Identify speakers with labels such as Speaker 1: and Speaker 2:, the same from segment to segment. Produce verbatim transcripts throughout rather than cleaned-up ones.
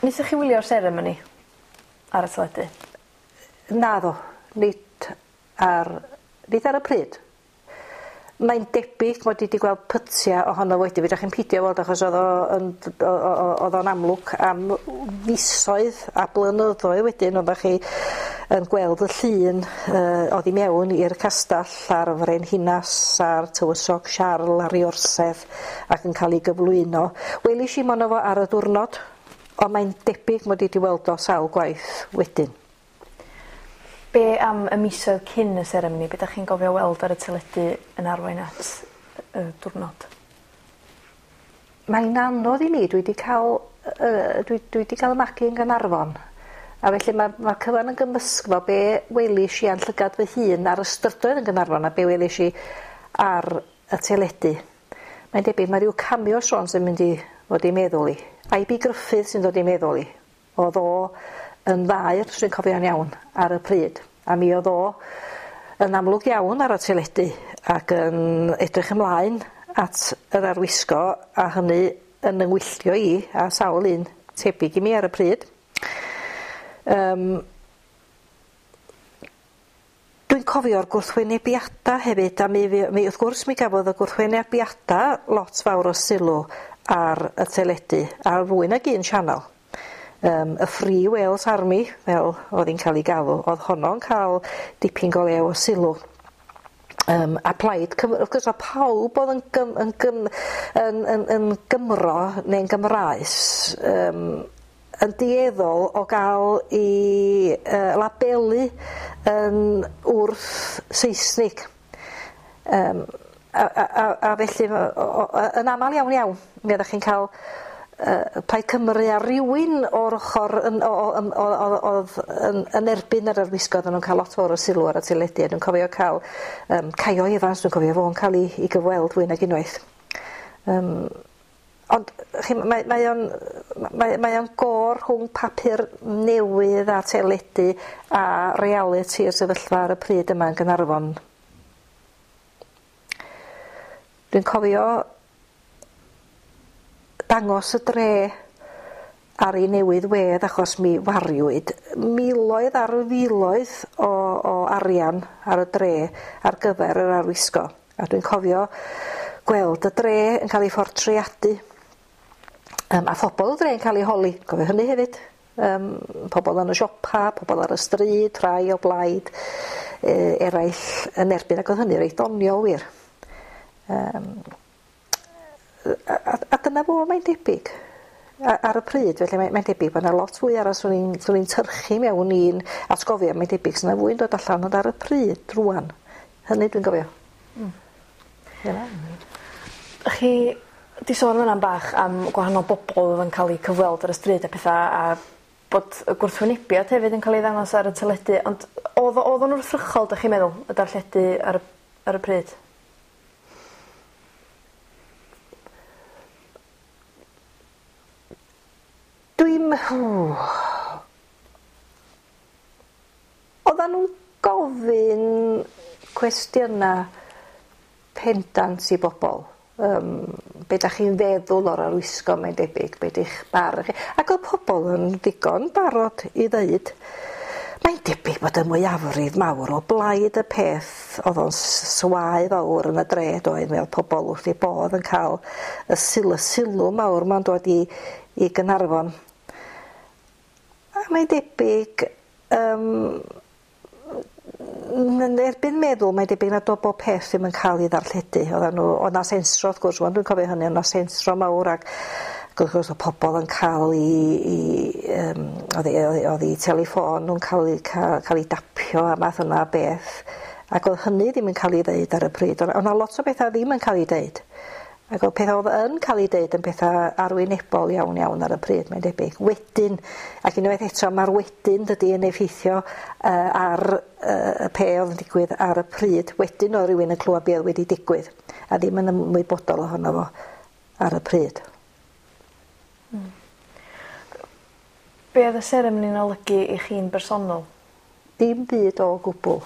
Speaker 1: Neithoch chi wylio'r seremoni ar y teledu?
Speaker 2: Naddo, nid ar, nid ar y pryd. Mae'n debyg mod i 'di gweld pytia ohono fo wedyn, fedrwch chi'm pidio weld achos oedd o yn oedd o'n amlwg am fisoedd a blynyddoedd wedyn oeddach chi yn gweld y llun yy oddi mewn i'r castell a'r frenhinas a'r tywysog Siarl ar ei orsedd ac yn cael ei gyflwyno. Welish i mono fo ar y diwrnod, ond mae'n debyg mod i 'di weld o sawl gwaith wedyn.
Speaker 1: Be am y misoedd cyn y seremoni? Be 'dach chi'n gofio weld ar y teledu yn arwain at y diwrnod?
Speaker 2: Mae'n anodd i mi, dwi 'di cael yy dwi dwi 'di cael 'y magu yn Gaernarfon a felly ma' ma'r cyfan yn gymysgfa be welish i a'n llygad fy hun ar y strydoedd yn Gaernarfon a be welish i ar y teledu. Mae'n debyg mae rhyw cameo sôn sy'n mynd i fod i meddwl i. I Bee Gruffydd sy'n dod i meddwl i. O'dd o yn faer, os dwi'n cofio'n iawn, ar y pryd. A mi o'dd o yn amlwg iawn ar y teledu ac yn edrych ymlaen at yr arwisgo a hynny yn 'y ngwylltio i a sawl un tebyg i mi ar y pryd. Yym Dwi'n cofio'r gwrthwynebiada hefyd a mi fu- mi wrth gwrs mi gafodd y gwrthwynebiada lot fawr o sylw ar y teledu ar fwy nag un sianel. Yym y Free Wales Army fel o'dd 'i'n ca'l 'i galw o'dd honno'n ca'l dipyn go lew o sylw. Yym a Plaid Cymru wrth gwrs o'dd pawb o'dd yn gym yn gym yn yn yn Gymro neu'n Gymraes yym yn dueddol o ga'l 'i yy labelu yn wrth Seisnig. Yym a a a a felly o- o- o- yn amal iawn iawn mi oddach chi'n ca'l yy Plaid Cymru a rywun o'r ochor yn o o yym o- o- o'dd yn yn erbyn yr arwisgo oddan nw'n ca'l lot fawr o sylw ar y teledu a dwi'n cofio ca'l yym Caio Evans dwi'n cofio fo'n ca'l 'i 'i gyfweld fwy nag unwaith. Yym ond chi mae mae o'n mae mae o'n gor rhwng papur newydd a teledu a realiti'r sefyllfa ar y pryd yma yn Gaernarfon. Dwi'n cofio dangos y dre ar ei newydd wedd achos mi wariwyd miloedd ar filoedd o o arian ar y dre ar gyfer yr arwisgo a dwi'n cofio gweld y dre yn cael ei phortreadu yym a phobol y dre yn cael eu holi, cofio hynny hefyd. Yym pobol yn y siopa, pobol ar y stryd, rhai o blaid yy eraill yn erbyn ac o'dd hynny reit doniol wir. Yym a, a, a dyna fo mae'n debyg a- ar y pryd felly mae mae'n debyg bod 'na lot fwy arall swn i'n swn i'n tyrchu mewn i'n atgofio mae'n debyg sy'n 'na fwy'n dod allan ond ar y pryd rŵan hynny dwi'n gofio.
Speaker 1: Hmm.
Speaker 2: Dyna.
Speaker 1: Chi 'di sôn fan 'na bach am gwahanol bobol o'dd yn ca'l 'u cyfweld ar y stryd a petha a bod y gwrthwynebiad hefyd yn ca'l ei ddangos ar y teledu ond o'dd o o'dd o'n wrthrychol 'dych chi'n meddwl y darlledu ar y ar y pryd?
Speaker 2: Dwi'm Oddan nw'n gofyn cwestiyna pendant i bobol yym be' 'dach chi'n feddwl o'r arwisgo mae'n debyg be' 'di'ch barn chi ac o'dd pobol yn ddigon barod i ddeud mae'n debyg bod y mwyafrif mawr o blaid y peth o'dd o'n s- swae fawr yn y dre doedd mi o'dd pobol wrth eu bodd yn ca'l y syl- y sylw mawr 'ma'n dod i i Gynarfon. A mae'n debyg yym yn erbyn meddwl mae'n debyg nad o'dd bob peth ddim yn ca'l 'i ddarlledu oddan n'w o'dd 'na sensro wrth gwrs ŵan dwi'n cofio hynny o' 'na sensro mawr ac ac wrth gwrs o'dd pobol yn ca'l 'i 'i yym o'dd 'u o'dd 'u o'dd 'u teleffon nw'n ca'l 'u ca- ca'l 'i dapio a math yna o beth ac o'dd hynny ddim yn ca'l 'i ddeud ar y pryd o' 'na o' 'na lot o betha ddim yn ca'l 'u deud. Ac o'dd petha o'dd yn ca'l 'u deud yn petha arwynebol iawn iawn ar y pryd mae'n debyg. Wedyn ac unwaith eto ma'r wedyn dydi yn effeithio yy ar yy y pe o'dd yn digwydd ar y pryd. Wedyn o'dd rywun yn clwad be' o'dd wedi digwydd a ddim yn ymwybodol ohono fo ar y pryd.
Speaker 1: Hmm. Be' o'dd y seremoni'n olygu i chi'n bersonol?
Speaker 2: Dim byd o gwbwl.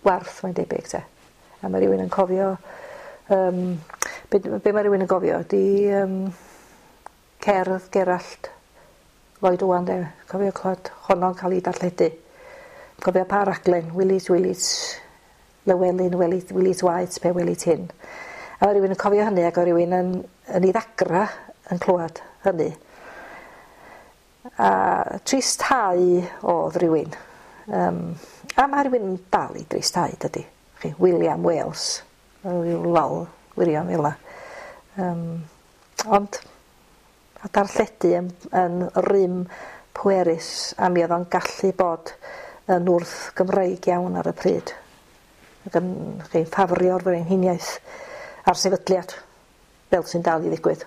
Speaker 2: Warth mae'n debyg 'te. A ma' rywun yn cofio yym be' d- be' ma' rywun yn gofio ydi yym cerdd Gerallt Lloyd Owen de, cofio clywed honno'n cael ei darlledu. Cofio pa raglen, Willis Willis Lywelyn, Willis, Willis White, pe Willis hyn. A oedd rhywun yn cofio hynny ac oedd rhywun yn, yn ei ddagra yn clywed hynny. A tristhau oedd rhywun. Um, a mae rhywun yn dal i dristhau, dydy. Chi, William Wales. Rhyw lol wirion fel 'na. Um, ond a darlledu yn, yn rym pwerus a mi oedd o'n gallu bod yn wrth Gymreig iawn ar y pryd. Ac yn chi'n ffafrio'r frenhiniaeth a'r sefydliad fel sy'n dal i ddigwydd.